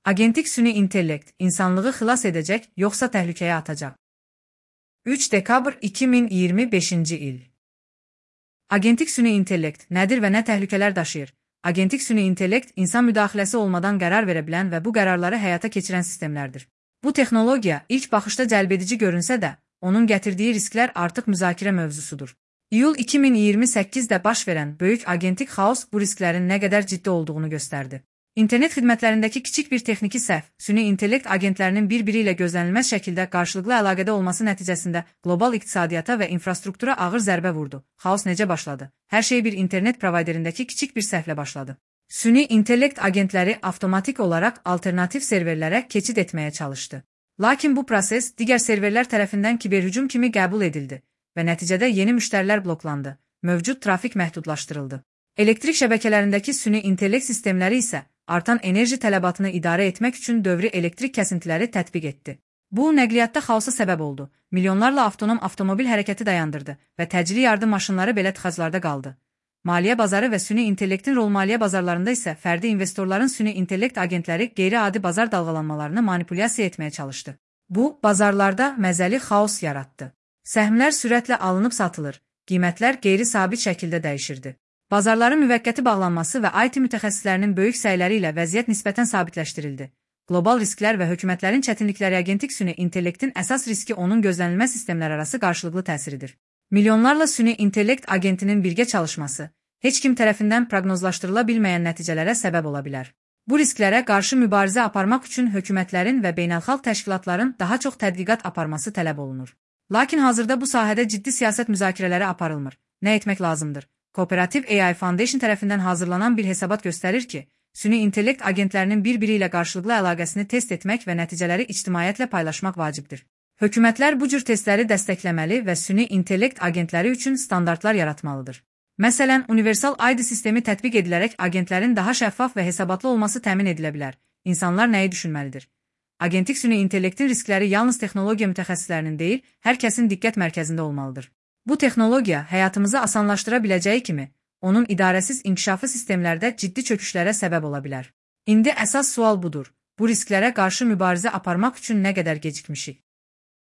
Agentik süni intellekt insanlığı xilas edəcək, yoxsa təhlükəyə atacaq? 3 dekabr 2025-ci il. Agentik süni intellekt nədir və nə təhlükələr daşıyır? Agentik süni intellekt insan müdaxiləsi olmadan qərar verə bilən və bu qərarları həyata keçirən sistemlərdir. Bu texnologiya ilk baxışda cəlbedici görünsə də, onun gətirdiyi risklər artıq müzakirə mövzusudur. İyul 2028-də baş verən böyük agentik xaos bu risklərin nə qədər ciddi olduğunu göstərdi. İnternet xidmətlərindəki kiçik bir texniki səhv, süni intellekt agentlərinin bir-biri ilə gözlənilməz şəkildə qarşılıqlı əlaqədə olması nəticəsində qlobal iqtisadiyyata və infrastruktura ağır zərbə vurdu. Xaos necə başladı? Hər şey bir internet provayderindəki kiçik bir səhvlə başladı. Süni intellekt agentləri avtomatik olaraq alternativ serverlərə keçid etməyə çalışdı. Lakin bu proses digər serverlər tərəfindən kiberhücum kimi qəbul edildi və nəticədə yeni müştərilər bloklandı, mövcud trafik məhdudlaşdırıldı. Elektrik şəbəkələrindəki süni intellekt sistemləri isə artan enerji tələbatını idarə etmək üçün dövri elektrik kəsintiləri tətbiq etdi. Bu, nəqliyyatda xaosa səbəb oldu, milyonlarla avtonom avtomobil hərəkəti dayandırdı və təcili yardım maşınları belə tıxaclarda qaldı. Maliyyə bazarı və süni intellektin rol maliyyə bazarlarında isə fərdi investorların süni intellekt agentləri qeyri-adi bazar dalğalanmalarını manipulyasiya etməyə çalışdı. Bu, bazarlarda məzəli xaos yaratdı. Səhmlər sürətlə alınıb satılır, qiymətlər qeyri-sabit şəkildə dəyişirdi. Bazarların müvəqqəti bağlanması və IT mütəxəssislərinin böyük səyləri ilə vəziyyət nisbətən sabitləşdirildi. Qlobal risklər və hökumətlərin çətinlikləri agentik süni intellektin əsas riski onun gözlənilməz sistemlərarası qarşılıqlı təsiridir. Milyonlarla süni intellekt agentinin birgə çalışması, heç kim tərəfindən proqnozlaşdırıla bilməyən nəticələrə səbəb ola bilər. Bu risklərə qarşı mübarizə aparmaq üçün hökumətlərin və beynəlxalq təşkilatların daha çox tədqiqat aparması tələb olunur. Lakin hazırda bu sahədə ciddi siyasət müzakirələri aparılmır. Nə etmək lazımdır? Cooperative AI Foundation tərəfindən hazırlanan bir hesabat göstərir ki, süni intellekt agentlərinin bir-biri ilə qarşılıqlı əlaqəsini test etmək və nəticələri ictimaiyyətlə paylaşmaq vacibdir. Hökumətlər bu cür testləri dəstəkləməli və süni intellekt agentləri üçün standartlar yaratmalıdır. Məsələn, universal ID sistemi tətbiq edilərək agentlərin daha şəffaf və hesabatlı olması təmin edilə bilər. İnsanlar nəyi düşünməlidir? Agentik süni intellektin riskləri yalnız texnologiya mütəxəssislərinin deyil, hər kəsin diqqət mərkəzində olmalıdır. Bu texnologiya həyatımızı asanlaşdıra biləcəyi kimi, onun idarəsiz inkişafı sistemlərdə ciddi çöküşlərə səbəb ola bilər. İndi əsas sual budur. Bu risklərə qarşı mübarizə aparmaq üçün nə qədər gecikmişik?